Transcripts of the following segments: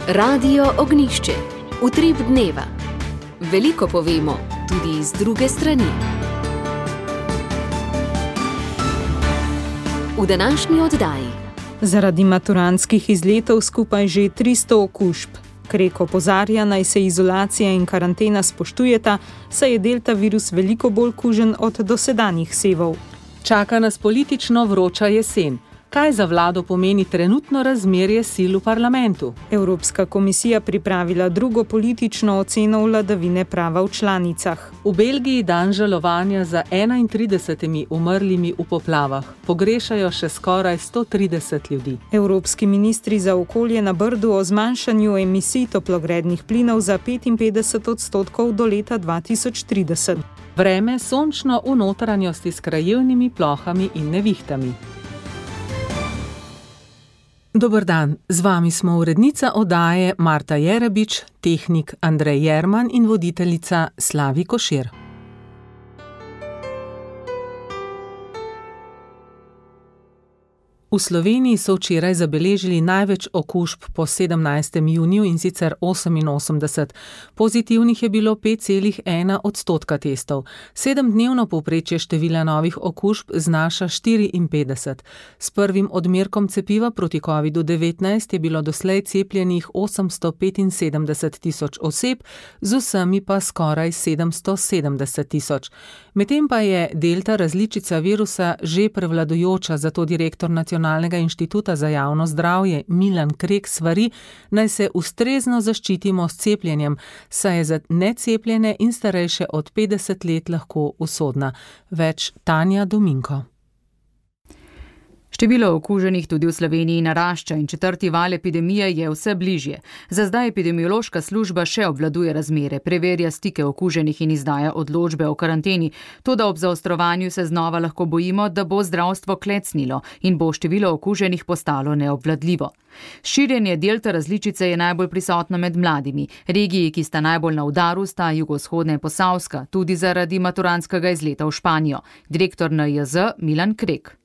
Radio Ognišče, utrip dneva. Veliko povemo, tudi iz druge strani. V današnji oddaji. Zaradi maturantskih izletov skupaj že 300 okužb. Krek opozarja, naj se izolacija in karantena spoštujeta, saj je delta virus veliko bolj kužen od dosedanjih sevov. Čaka nas politično vroča jesen. Kaj za vlado pomeni trenutno razmerje sil v parlamentu? Evropska komisija pripravila drugo politično oceno vladavine prava v članicah. V Belgiji dan žalovanja za 31 umrlimi v poplavah. Pogrešajo še skoraj 130 ljudi. Evropski ministri za okolje na Brdu o zmanjšanju emisij toplogrednih plinov za 55% do leta 2030. Vreme sončno v notranjosti s krajevnimi plohami in nevihtami. Dober dan, z vami smo urednica oddaje Marta Jerebič, tehnik Andrej Jerman in voditeljica Slavi Košir. V Sloveniji so včeraj zabeležili največ okužb po 17. juniju in sicer 88. Pozitivnih je bilo 5,1% testov. 7-dnevno povprečje števila novih okužb znaša 54. S prvim odmerkom cepiva proti COVID-19 je bilo doslej cepljenih 875 tisoč oseb, z vsemi pa skoraj 770 tisoč. Medtem pa je delta različica virusa že prevladujoča, zato direktor Nacionalnega inštituta za javno zdravje Milan Krek svari, naj se ustrezno zaščitimo s cepljenjem, saj je za necepljene in starejše od 50 let lahko usodna. Več Tanja Dominko. Število okuženih tudi v Sloveniji narašča in četrti val epidemije je vse bližje. Za zdaj epidemiološka služba še obvladuje razmere, preverja stike okuženih in izdaja odločbe o karanteni. Toda ob zaostrovanju se znova lahko bojimo, da bo zdravstvo klecnilo in bo število okuženih postalo neobvladljivo. Širjenje delta različice je najbolj prisotno med mladimi. Regiji, ki sta najbolj na udaru, sta jugovzhodna in Posavska, tudi zaradi maturantskega izleta v Španijo. Direktor NIJZ Milan Krek.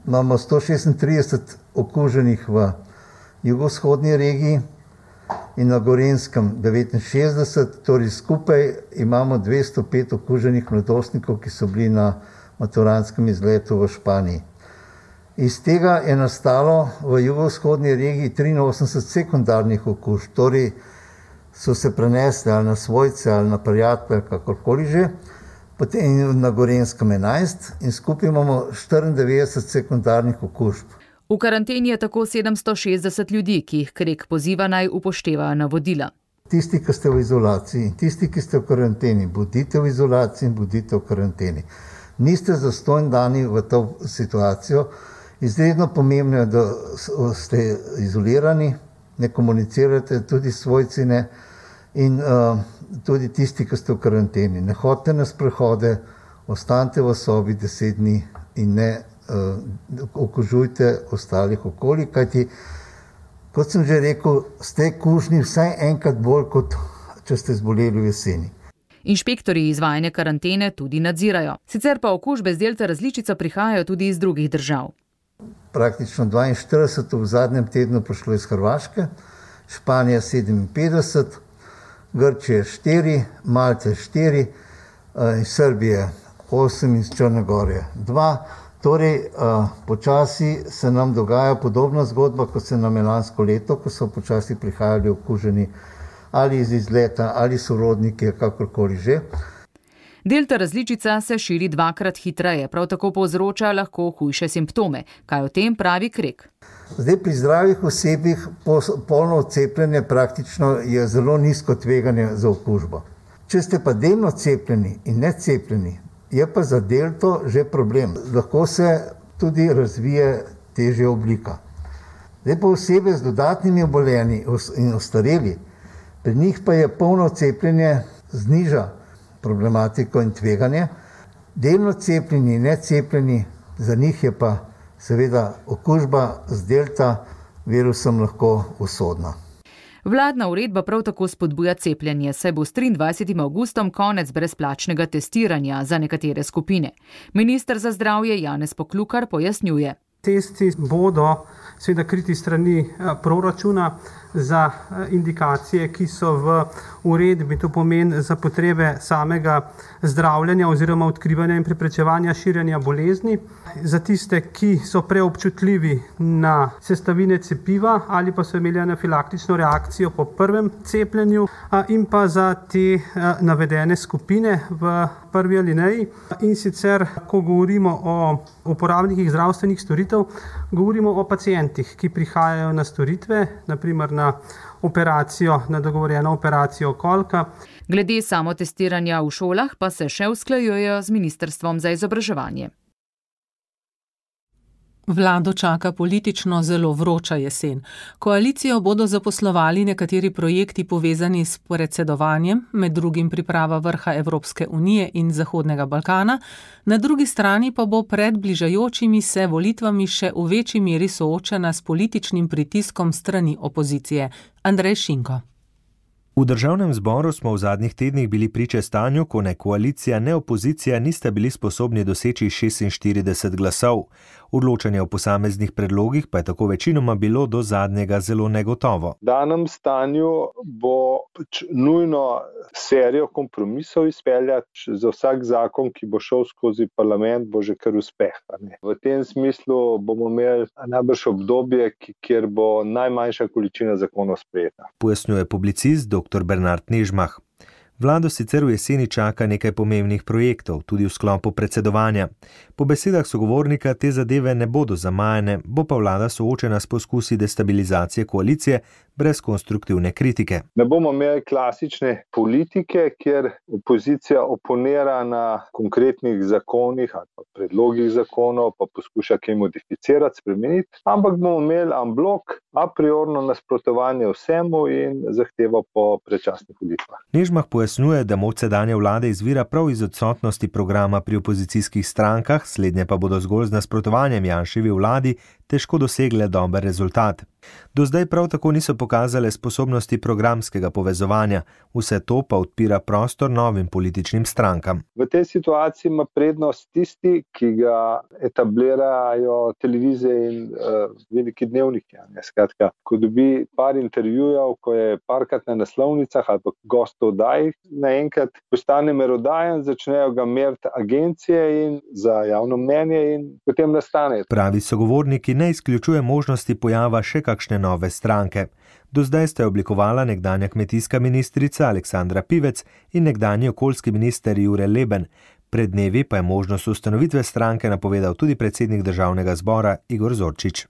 Imamo 136 okuženih v jugovzhodni regiji in na Gorenjskem 69, torej skupaj imamo 205 okuženih mladostnikov, ki so bili na maturantskem izletu v Španiji. Iz tega je nastalo v jugovzhodni regiji 83 sekundarnih okužb, torej so se prenesli ali na svojce ali na prijatelje, kakorkoli že. Potem na Gorenjskem 11 in skupaj imamo 94 sekundarnih okužb. V karanteni je tako 760 ljudi, ki jih Krek poziva naj upoštevajo navodila. Tisti, ki ste v izolaciji, tisti, ki ste v karanteni, bodite v izolaciji in bodite v karanteni. Niste zastonj dani v to situacijo. Izredno pomembno je, da ste izolirani, ne komunicirate, tudi svojci ne. In tudi tisti, ki ste v karanteni. Ne hodite na sprehode, ostanite v sobi 10 dni in ne okužujte ostalih okoli, kajti, kot sem že rekel, ste kužni vsaj enkrat bolj, kot če ste zboleli v jeseni. Inšpektorji izvajanje karantene tudi nadzirajo. Sicer pa okužbe z delta različico prihajajo tudi iz drugih držav. Praktično 42 v zadnjem tednu prišlo iz Hrvaške, Španija 57, Grčije 4, Malte 4, iz Srbije 8 in iz Črne Gore 2. Torej, počasi se nam dogaja podobna zgodba, kot se nam je lansko leto, ko so počasi prihajali okuženi ali iz izleta, ali sorodniki, kakorkoli že. Delta različica se širi dvakrat hitreje, prav tako povzroča lahko hujše simptome. Kaj o tem pravi Krek? Zdaj, pri zdravih osebih polno cepljenje praktično je zelo nizko tveganje za okužbo. Če ste pa delno cepljeni in necepljeni, je pa za delto že problem. Lahko se tudi razvije težja oblika. Zdaj pa osebe z dodatnimi obolenji in ostareli, pri njih pa je polno cepljenje zniža problematiko in tveganje. Delno cepljeni in necepljeni, za njih je pa seveda okužba z delta virusom lahko usodna. Vladna uredba prav tako spodbuja cepljenje, saj bo s 23. avgustom konec brezplačnega testiranja za nekatere skupine. Minister za zdravje Janez Poklukar pojasnjuje. Testi bodo seveda kriti strani proračuna za indikacije, ki so v uredbi, to pomeni za potrebe samega zdravljenja oziroma odkrivanja in preprečevanja širjenja bolezni, za tiste, ki so preobčutljivi na sestavine cepiva ali pa so imeli anafilaktično reakcijo po prvem cepljenju, in pa za te navedene skupine v prvi alineji. In sicer, ko govorimo o uporabnikih zdravstvenih storitev, govorimo o pacientih, ki prihajajo na storitve, naprimer na operacijo, na dogovorjeno operacijo kolka. Glede samotestiranja v šolah pa se še usklajujejo z Ministrstvom za izobraževanje. Vlado čaka politično zelo vroča jesen. Koalicijo bodo zaposlovali nekateri projekti povezani s predsedovanjem, med drugim priprava vrha Evropske unije in Zahodnega Balkana, na drugi strani pa bo pred bližajočimi se volitvami še v večji meri soočena s političnim pritiskom strani opozicije. Andrej Šinko. V državnem zboru smo v zadnjih tednih bili priče stanju, ko ne koalicija, ne opozicija nista bili sposobni doseči 46 glasov. Odločanje o posameznih predlogih pa je tako večinoma bilo do zadnjega zelo negotovo. V danem stanju bo nujno serijo kompromisov izpeljati. Za vsak zakon, ki bo šel skozi parlament, bo že kar uspeh. V tem smislu bomo imeli najbrž obdobje, kjer bo najmanjša količina zakonov sprejeta. Pojasnjuje publicist dr. Bernard Nežmah. Vlado sicer v jeseni čaka nekaj pomembnih projektov, tudi v sklopu predsedovanja. Po besedah sogovornika te zadeve ne bodo zamajene, bo pa vlada soočena s poskusi destabilizacije koalicije brez konstruktivne kritike. Ne bomo imeli klasične politike, kjer opozicija oponira na konkretnih zakonih ali pa predlogih zakonov, pa poskuša kaj modificirati, spremeniti, ampak bomo imeli en blok, a priorno nasprotovanje vsemu in zahtevo po predčasnih volitvah. Nežmah pojasnjuje, da moč sedanje vlade izvira prav iz odsotnosti programa pri opozicijskih strankah, slednje pa bodo zgolj z nasprotovanjem Janševi vladi težko dosegle dober rezultat. Do zdaj prav tako niso pokazale sposobnosti programskega povezovanja, vse to pa odpira prostor novim političnim strankam. V tej situaciji ima prednost tisti, ki ga etablirajo televizije in veliki dnevniki. Skratka, ko dobi par intervjujev, ko je parkrat na naslovnicah ali pa gostov oddaj, naenkrat postane merodajen, začnejo ga meriti agencije in za javno mnenje in potem nastane. Pravi sogovorniki ne izključuje možnosti pojava še kakšne nove stranke. Do zdaj sta oblikovala nekdanja kmetijska ministrica Aleksandra Pivec in nekdanji okoljski minister Jure Leben. Pred dnevi pa je možnost ustanovitve stranke napovedal tudi predsednik državnega zbora Igor Zorčič.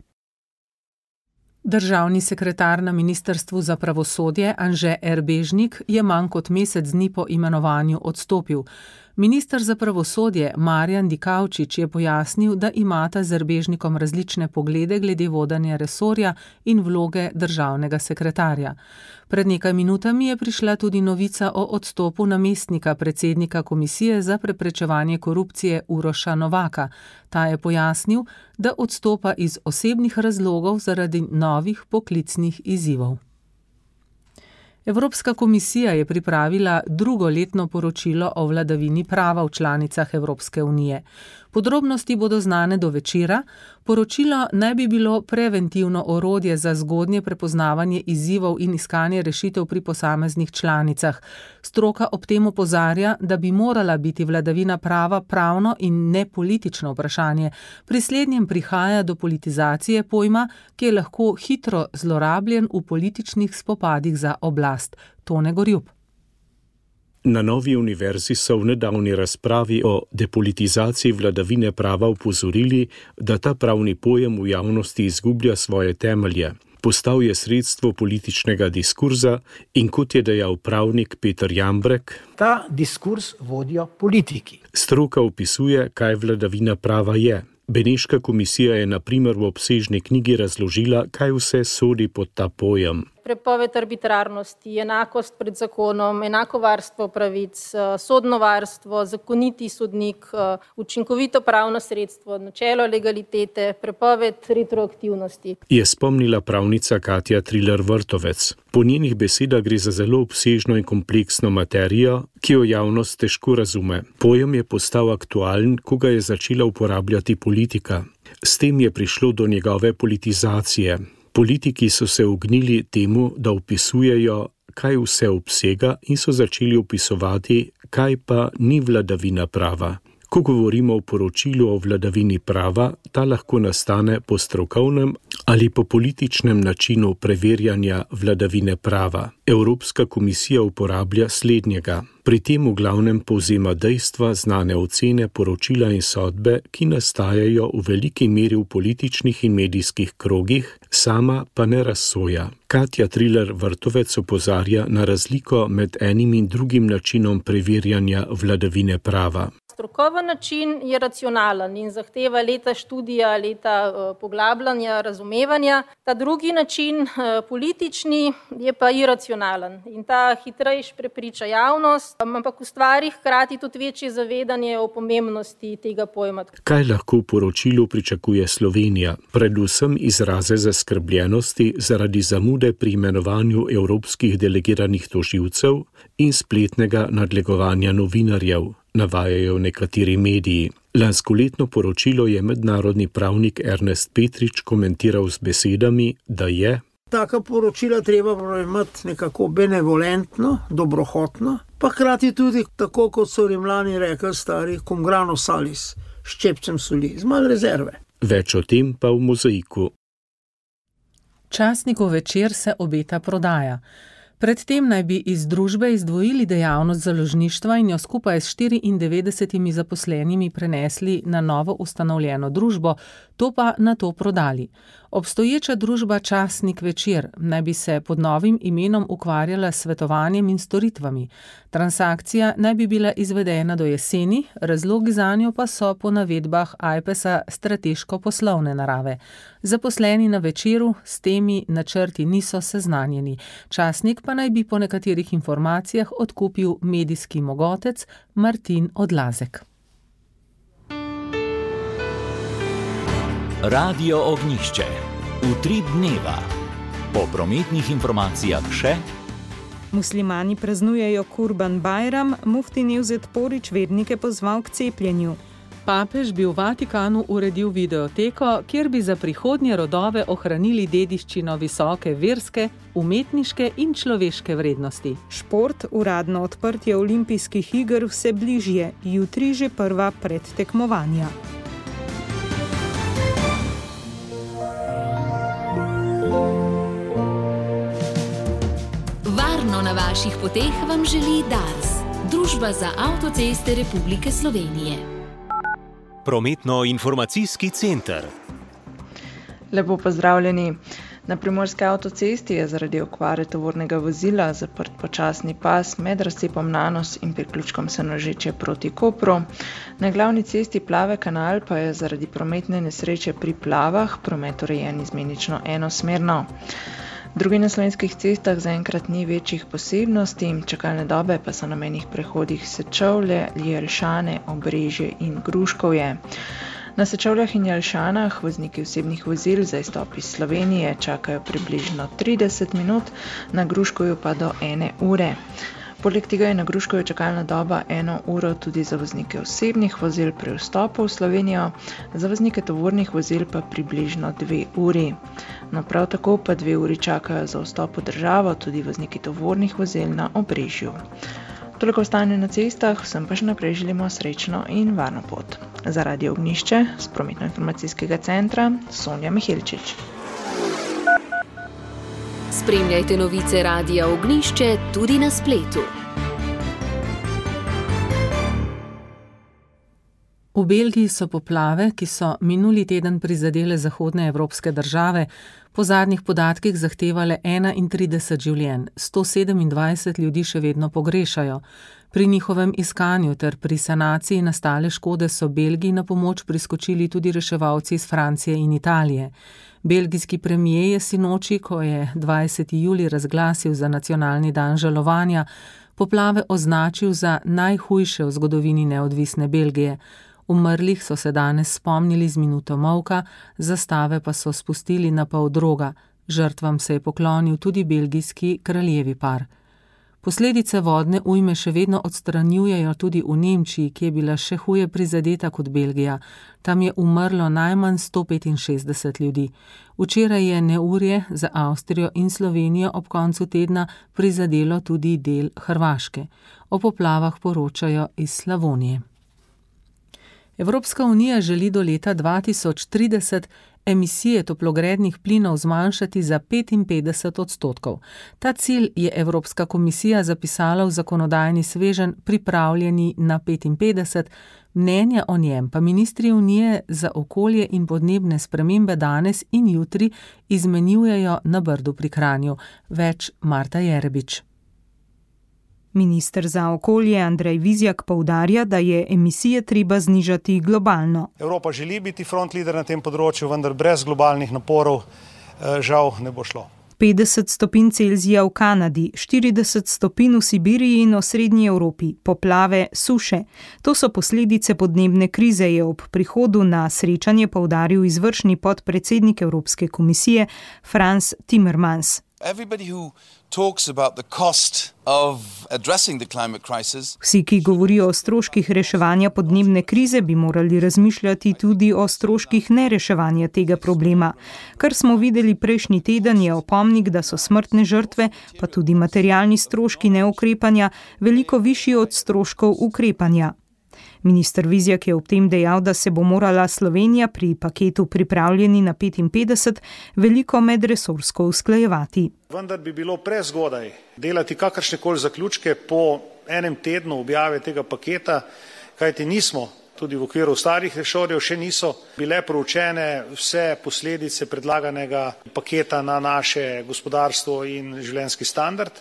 Državni sekretar na Ministrstvu za pravosodje Anže Erbežnik je manj kot mesec dni po imenovanju odstopil. Minister za pravosodje Marjan Dikaučič je pojasnil, da imata z Erbežnikom različne poglede glede vodenja resorja in vloge državnega sekretarja. Pred nekaj minutami je prišla tudi novica o odstopu namestnika predsednika Komisije za preprečevanje korupcije Uroša Novaka. Ta je pojasnil, da odstopa iz osebnih razlogov zaradi novih poklicnih izzivov. Evropska komisija je pripravila drugo letno poročilo o vladavini prava v članicah Evropske unije. Podrobnosti bodo znane do večera. Poročilo naj bi bilo preventivno orodje za zgodnje prepoznavanje izzivov in iskanje rešitev pri posameznih članicah. Stroka ob tem opozarja, da bi morala biti vladavina prava pravno in ne politično vprašanje. Pri slednjem prihaja do politizacije pojma, ki je lahko hitro zlorabljen v političnih spopadih za oblast. Tone Gorjup. Na Novi univerzi so v nedavni razpravi o depolitizaciji vladavine prava opozorili, da ta pravni pojem v javnosti izgublja svoje temelje. Postal je sredstvo političnega diskurza in kot je dejal pravnik Peter Jambrek, ta diskurs vodijo politiki. Stroka opisuje, kaj vladavina prava je. Beneška komisija je na primer v obsežni knjigi razložila, kaj vse sodi pod ta pojem. Prepoved arbitrarnosti, enakost pred zakonom, enako varstvo pravic, sodno varstvo, zakoniti sodnik, učinkovito pravno sredstvo, načelo legalitete, prepoved retroaktivnosti. Je spomnila pravnica Katja Triler-Vrtovec. Po njenih besedah gre za zelo obsežno in kompleksno materijo, ki jo javnost težko razume. Pojem je postal aktualen, ko ga je začela uporabljati politika. S tem je prišlo do njegove politizacije. Politiki so se ognili temu, da opisujejo, kaj vse obsega, in so začeli opisovati, kaj pa ni vladavina prava. Ko govorimo o poročilu o vladavini prava, ta lahko nastane po strokovnem ali po političnem načinu preverjanja vladavine prava. Evropska komisija uporablja slednjega. Pri tem v glavnem povzema dejstva, znane ocene, poročila in sodbe, ki nastajajo v veliki meri v političnih in medijskih krogih, sama pa ne razsoja. Katja Triler-Vrtovec opozarja na razliko med enim in drugim načinom preverjanja vladavine prava. Strokoven način je racionalen in zahteva leta študija, leta poglabljanja, razumevanja. Ta drugi način, politični, je pa iracionalen in ta hitrejš prepriča javnost, ampak ustvari hkrati tudi večje zavedanje o pomembnosti tega pojma. Kaj lahko v poročilu pričakuje Slovenija? Predvsem izraze zaskrbljenosti zaradi zamude pri imenovanju evropskih delegiranih tožilcev in spletnega nadlegovanja novinarjev, navajajo nekateri mediji. Lanskoletno poročilo je mednarodni pravnik Ernest Petrič komentiral z besedami, da je taka poročila treba imeti nekako benevolentno, dobrohotno, pa hkrati tudi tako, kot so Rimljani rekli stari, cum grano salis, s ščepcem soli, z malo rezerve. Več o tem pa v Mozaiku. Časnikov Večer se obeta prodaja. Predtem naj bi iz družbe izdvojili dejavnost založništva in jo skupaj s 94 zaposlenimi prenesli na novo ustanovljeno družbo, to pa nato prodali. Obstoječa družba Časnik Večer naj bi se pod novim imenom ukvarjala s svetovanjem in storitvami. Transakcija naj bi bila izvedena do jeseni, razlogi zanjo pa so po navedbah Ajpesa strateško-poslovne narave. Zaposleni na Večeru s temi načrti niso seznanjeni. Časnik pa naj bi po nekaterih informacijah odkupil medijski mogotec Martin Odlazek. Radio Ognjišče. Utrip dneva. Po prometnih informacijah še. Muslimani praznujejo Kurban Bajram, mufti Nevzet Porić vernike pozval k cepljenju. Papež bi v Vatikanu uredil videoteko, kjer bi za prihodnje rodove ohranili dediščino visoke verske, umetniške in človeške vrednosti. Šport, uradno odprtje olimpijskih iger vse bližje, jutri že prva predtekmovanja. Varno na vaših poteh vam želi Dars, Družba za avtoceste Republike Slovenije. Prometno-informacijski center. Lepo pozdravljeni. Na Primorski avtocesti je zaradi okvare tovornega vozila zaprt počasni pas med razcepom Nanos in priključkom Senožeče proti Kopru. Na glavni cesti Plave kanal pa je zaradi prometne nesreče pri Plavah promet urejen izmenično enosmerno. Drugi na slovenskih cestah zaenkrat ni večjih posebnosti, čakalne dobe pa so na mejnih prehodih Sečovlje, Jelšane, Obrežje in Gruškovje. Na Sečovljah in Jelšanah vozniki osebnih vozil za izstop iz Slovenije čakajo približno 30 minut, na Gruškovju pa do 1 ure. Poleg tega je na Gruškovju čakalna doba 1 uro tudi za voznike osebnih vozil pri vstopu v Slovenijo, za voznike tovornih vozil pa približno 2 uri. No, prav tako pa 2 uri čakajo za vstop v državo tudi vozniki tovornih vozil na Obrežju. Toliko stanje na cestah, vsem pa še naprej želimo srečno in varno pot. Za Radio Ognjišče z prometno-informacijskega centra Sonja Miheličič. Spremljajte novice Radia Ognjišče tudi na spletu. V Belgiji so poplave, ki so minuli teden prizadele zahodne evropske države, po zadnjih podatkih zahtevale 31 življenj, 127 ljudi še vedno pogrešajo. Pri njihovem iskanju ter pri sanaciji nastale škode so Belgiji na pomoč priskočili tudi reševalci iz Francije in Italije. Belgijski premier je sinoči, ko je 20. julij razglasil za nacionalni dan žalovanja, poplave označil za najhujše v zgodovini neodvisne Belgije. Umrlih so se danes spomnili z minuto molka, zastave pa so spustili na pol droga. Žrtvam se je poklonil tudi belgijski kraljevi par. Posledice vodne ujme še vedno odstranjujejo tudi v Nemčiji, ki je bila še huje prizadeta kot Belgija. Tam je umrlo najmanj 165 ljudi. Včeraj je neurje za Avstrijo in Slovenijo ob koncu tedna prizadelo tudi del Hrvaške. O poplavah poročajo iz Slavonije. Evropska unija želi do leta 2030 emisije toplogrednih plinov zmanjšati za 55%. Ta cilj je Evropska komisija zapisala v zakonodajni sveženj Pripravljeni na 55, mnenja o njem pa ministri Unije za okolje in podnebne spremembe danes in jutri izmenjujejo na Brdu pri Kranju. Več Marta Jerebič. Minister za okolje Andrej Vizjak poudarja, da je emisije treba znižati globalno. Evropa želi biti front leader na tem področju, vendar brez globalnih naporov žal ne bo šlo. 50 stopinj Celzija v Kanadi, 40 stopinj v Sibiriji in osrednji Evropi, poplave, suše. To so posledice podnebne krize, je ob prihodu na srečanje poudaril izvršni podpredsednik Evropske komisije Frans Timmermans. Vsi, ki govorijo o stroških reševanja podnebne krize, bi morali razmišljati tudi o stroških nereševanja tega problema. Kar smo videli prejšnji teden, je opomnik, da so smrtne žrtve, pa tudi materialni stroški neukrepanja, veliko višji od stroškov ukrepanja. Minister Vizjak je ob tem dejal, da se bo morala Slovenija pri paketu Pripravljeni na 55 veliko medresorsko usklajevati. Vendar bi bilo prezgodaj delati kakršnekoli zaključke po enem tednu objave tega paketa, kajti nismo, tudi v okviru starih resorjev še niso bile proučene vse posledice predlaganega paketa na naše gospodarstvo in življenjski standard.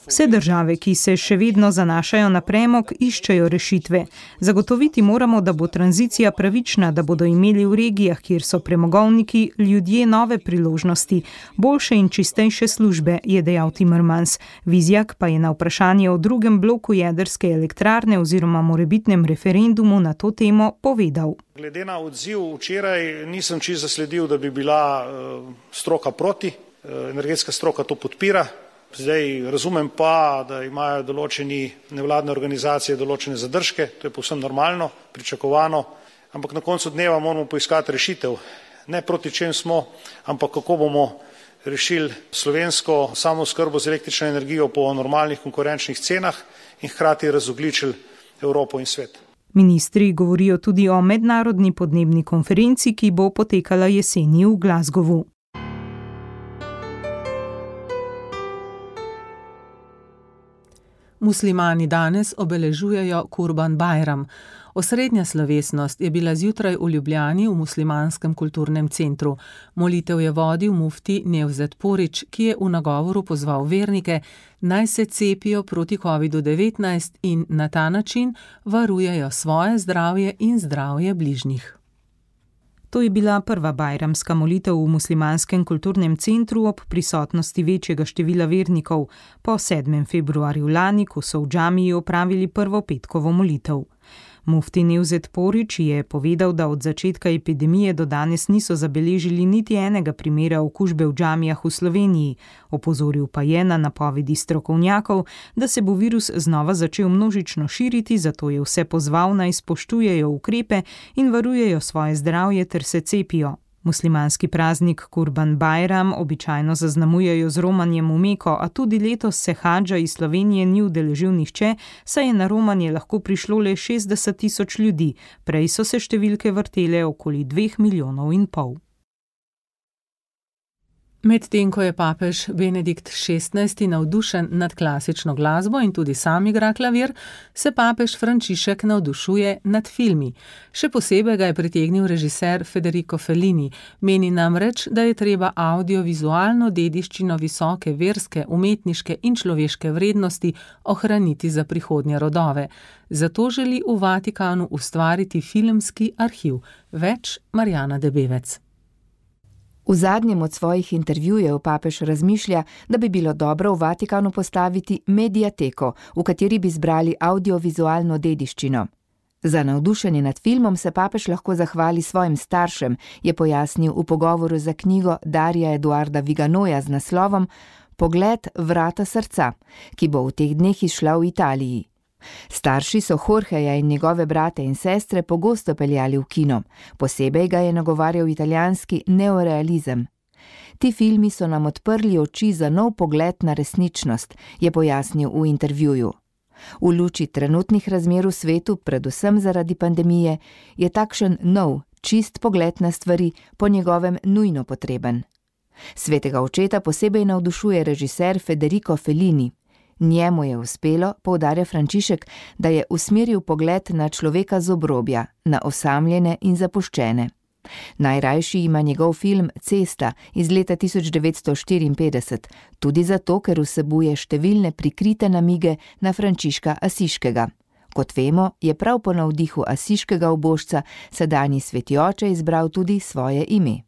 Vse države, ki se še vedno zanašajo na premog, iščejo rešitve. Zagotoviti moramo, da bo tranzicija pravična, da bodo imeli v regijah, kjer so premogovniki, ljudje nove priložnosti, boljše in čistejše službe, je dejal Timmermans. Vizjak pa je na vprašanje o drugem bloku jedrske elektrarne oziroma morebitnem referendumu na to temo povedal. Glede na odziv včeraj nisem čisto zasledil, da bi bila stroka proti. Energetska stroka to podpira. Zdaj razumem pa, da imajo določeni nevladne organizacije določene zadržke, to je povsem normalno, pričakovano, ampak na koncu dneva moramo poiskati rešitev. Ne proti čem smo, ampak kako bomo rešili slovensko samooskrbo z električno energijo po normalnih konkurenčnih cenah in hkrati razogljičili Evropo in svet. Ministri govorijo tudi o mednarodni podnebni konferenci, ki bo potekala jeseni v Glasgowu. Muslimani danes obeležujejo Kurban Bajram. Osrednja slovesnost je bila zjutraj v Ljubljani v Muslimanskem kulturnem centru. Molitev je vodil mufti Nevzet Porić, ki je v nagovoru pozval vernike, naj se cepijo proti COVID-19 in na ta način varujejo svoje zdravje in zdravje bližnjih. To je bila prva bajramska molitev v Muslimanskem kulturnem centru ob prisotnosti večjega števila vernikov po 7. februarju lani, ko so v džamiji opravili prvo petkovo molitev. Mufti Nevzet Porić je povedal, da od začetka epidemije do danes niso zabeležili niti enega primera okužbe v džamijah v Sloveniji. Opozoril pa je na napovedi strokovnjakov, da se bo virus znova začel množično širiti, zato je vse pozval, naj spoštujejo ukrepe in varujejo svoje zdravje ter se cepijo. Muslimanski praznik Kurban Bajram običajno zaznamujejo z romanjem v Meko, a tudi letos se hadža iz Slovenije ni udeležil nihče, saj je na romanje lahko prišlo le 60.000 ljudi, prej so se številke vrtele okoli 2,5 milijona. Medtem ko je papež Benedikt XVI navdušen nad klasično glasbo in tudi sam igra klavir, se papež Frančišek navdušuje nad filmi. Še posebej ga je pritegnil režiser Federico Fellini. Meni namreč, da je treba audiovizualno dediščino visoke verske, umetniške in človeške vrednosti ohraniti za prihodnje rodove. Zato želi v Vatikanu ustvariti filmski arhiv. Več Marjana Debevec. V zadnjem od svojih intervjujev papež razmišlja, da bi bilo dobro v Vatikanu postaviti mediateko, v kateri bi zbrali audiovizualno dediščino. Za navdušenje nad filmom se papež lahko zahvali svojim staršem, je pojasnil v pogovoru za knjigo Darija Eduarda Viganoja z naslovom Pogled vrata srca, ki bo v teh dneh izšla v Italiji. Starši so Jorgeja in njegove brate in sestre pogosto peljali v kino, posebej ga je nagovarjal italijanski neorealizem. Ti filmi so nam odprli oči za nov pogled na resničnost, je pojasnil v intervjuju. V luči trenutnih razmer v svetu, predvsem zaradi pandemije, je takšen nov, čist pogled na stvari po njegovem nujno potreben. Svetega očeta posebej navdušuje režiser Federico Fellini. Njemu je uspelo, poudarja Frančišek, da je usmeril pogled na človeka z obrobja, na osamljene in zapuščene. Najrajši ima njegov film Cesta iz leta 1954, tudi zato, ker vsebuje številne prikrite namige na Frančiška Asiškega. Kot vemo, je prav po navdihu asiškega ubožca sedanji sveti oče izbral tudi svoje ime.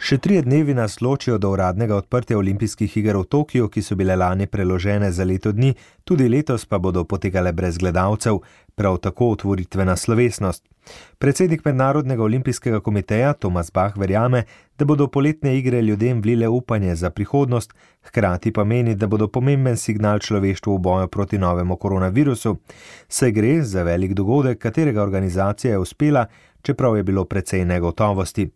Še 3 dnevi nas ločijo do uradnega odprtja olimpijskih iger v Tokiu, ki so bile lani preložene za leto dni, tudi letos pa bodo potekale brez gledalcev, prav tako otvoritvena slovesnost. Predsednik Mednarodnega olimpijskega komiteja Tomas Bach verjame, da bodo poletne igre ljudem vlile upanje za prihodnost, hkrati pa meni, da bodo pomemben signal človeštvu v boju proti novemu koronavirusu, saj gre za velik dogodek, katerega organizacija je uspela, čeprav je bilo precej negotovosti.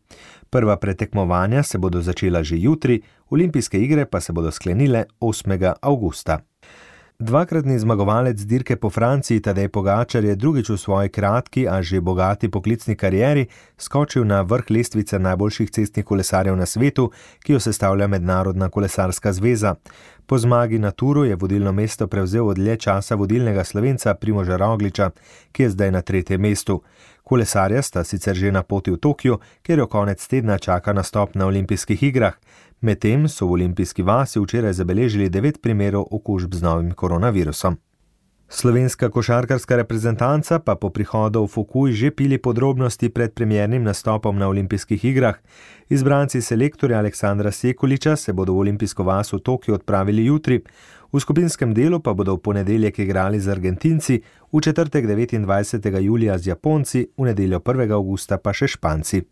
Prva pretekmovanja se bodo začela že jutri, olimpijske igre pa se bodo sklenile 8. avgusta. Dvakratni zmagovalec dirke po Franciji Tadej Pogačar je drugič v svoji kratki, a že bogati poklicni karieri skočil na vrh lestvice najboljših cestnih kolesarjev na svetu, ki jo sestavlja Mednarodna kolesarska zveza. Po zmagi na Turu je vodilno mesto prevzel od dlje časa vodilnega Slovenca Primoža Rogliča, ki je zdaj na 3. mestu. Kolesarja sta sicer že na poti v Tokiu, kjer jo konec tedna čaka nastop na olimpijskih igrah. Medtem so v olimpijski vasi včeraj zabeležili 9 primerov okužb z novim koronavirusom. Slovenska košarkarska reprezentanca pa po prihodu v Fukui že pili podrobnosti pred premiernim nastopom na olimpijskih igrah. Izbranci selektorja Aleksandra Sekuliča se bodo v olimpijsko vas v Tokiu odpravili jutri. V skupinskem delu pa bodo v ponedeljek igrali z Argentinci, v četrtek 29. julija z Japonci, v nedeljo 1. avgusta pa še Španci.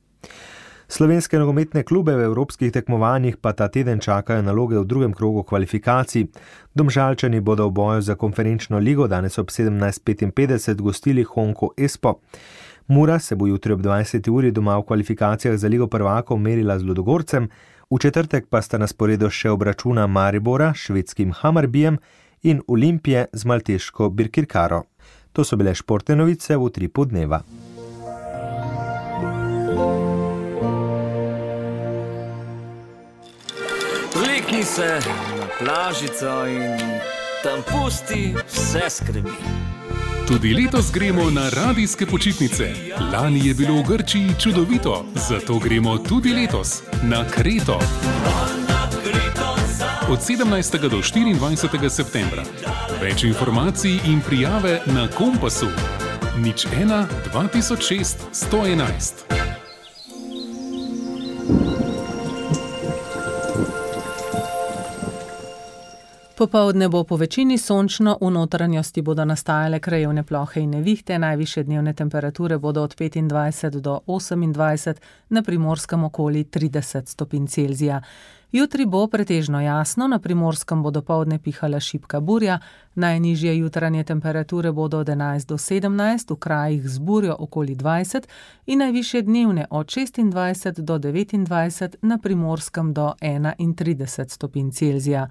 Slovenske nogometne klube v evropskih tekmovanjih pa ta teden čakajo naloge v drugem krogu kvalifikacij. Domžalčani bodo v boju za konferenčno ligo danes ob 17:55 gostili Honko Espo. Mura se bo jutri ob 20. uri doma v kvalifikacijah za ligo prvakov merila z Ludogorcem, v četrtek pa sta na sporedu še obračuna Maribora s švedskim Hammarbyjem in Olimpije z malteško Birkirkaro. To so bile športne novice v Utripu dneva. Vlekni se na plažico in tam pusti vse skrbi. Tudi letos gremo na radijske počitnice. Lani je bilo v Grčiji čudovito, zato gremo tudi letos na Kreto. Od 17. do 24. septembra. Več informacij in prijave na Kompasu. 01 2006 111. Popoldne bo po večini sončno, v notranjosti bodo nastajale krajevne plohe in nevihte, najvišje dnevne temperature bodo od 25 do 28, na Primorskem okoli 30 stopinj Celzija. Jutri bo pretežno jasno, na Primorskem bo dopoldne pihala šibka burja, najnižje jutranje temperature bodo od 11 do 17, v krajih z burjo okoli 20 in najvišje dnevne od 26 do 29, na Primorskem do 31 stopinj Celzija.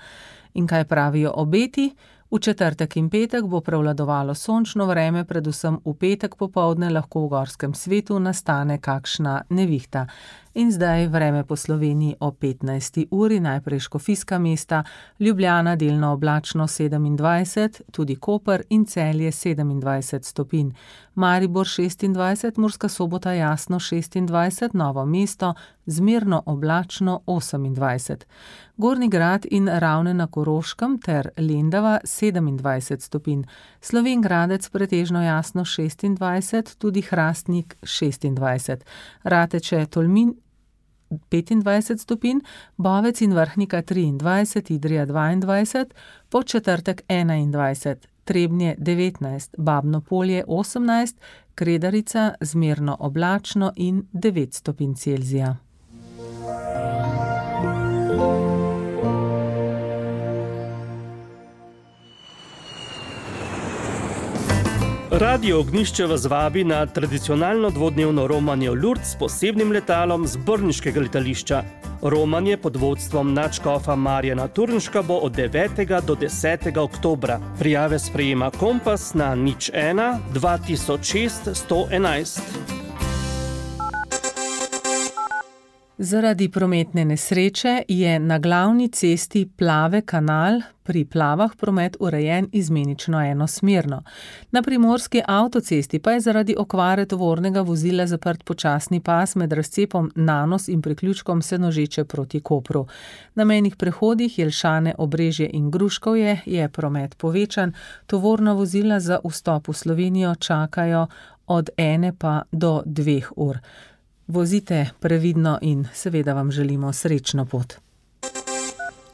In kaj pravijo obeti? V četrtek in petek bo prevladovalo sončno vreme, predvsem v petek popoldne lahko v gorskem svetu nastane kakšna nevihta. In zdaj vreme po Sloveniji o 15. uri, najprej Škofijska mesta, Ljubljana delno oblačno 27, tudi Koper in Celje 27 stopinj, Maribor 26, Murska Sobota jasno 26, Novo mesto zmerno oblačno 28. Gornji Grad in Ravne na Koroškem ter Lendava 27 stopinj, Slovenj Gradec pretežno jasno 26, tudi Hrastnik 26, Rateče, Tolmin 25 stopinj, Bovec in Vrhnika 23, Idrija 22, po četrtek 21, Trebnje 19, Babno Polje 18, Kredarica zmerno oblačno in 9 stopinj Celzija. Radio Ognjišče vas vabi na tradicionalno dvodnevno romanje v Lourdes s posebnim letalom z brniškega letališča. Romanje pod vodstvom nadškofa Marjana Turnška bo od 9. do 10. oktobra. Prijave sprejema Kompas na 01 2006 111. Zaradi prometne nesreče je na glavni cesti Plave kanal pri Plavah promet urejen izmenično enosmerno. Na primorski avtocesti pa je zaradi okvare tovornega vozila zaprt počasni pas med razcepom Nanos in priključkom Senožeče proti Kopru. Na mejnih prehodih Jelšane, Obrežje in Gruškovje je promet povečan, tovorna vozila za vstop v Slovenijo čakajo od 1 pa do 2 ur. Vozite previdno in seveda vam želimo srečno pot.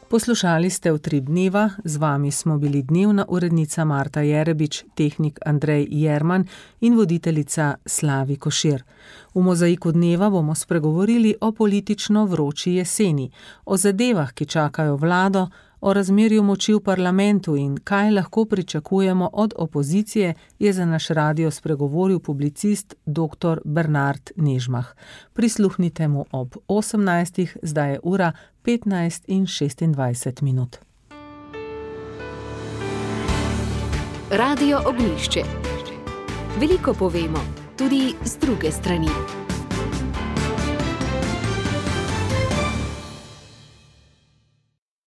Poslušali ste Utrip dneva, z vami smo bili dnevna urednica Marta Jerebič, tehnik Andrej Jerman in voditeljica Slavi Košir. V mozaiku dneva bomo spregovorili o politično vroči jeseni, o zadevah, ki čakajo vlado, o razmerju moči v parlamentu in kaj lahko pričakujemo od opozicije, je za naš radio spregovoril publicist dr. Bernard Nežmah. Prisluhnite mu ob 18. Zdaj je ura 15:26 minut. Radio Ognjišče. Veliko povemo, tudi z druge strani.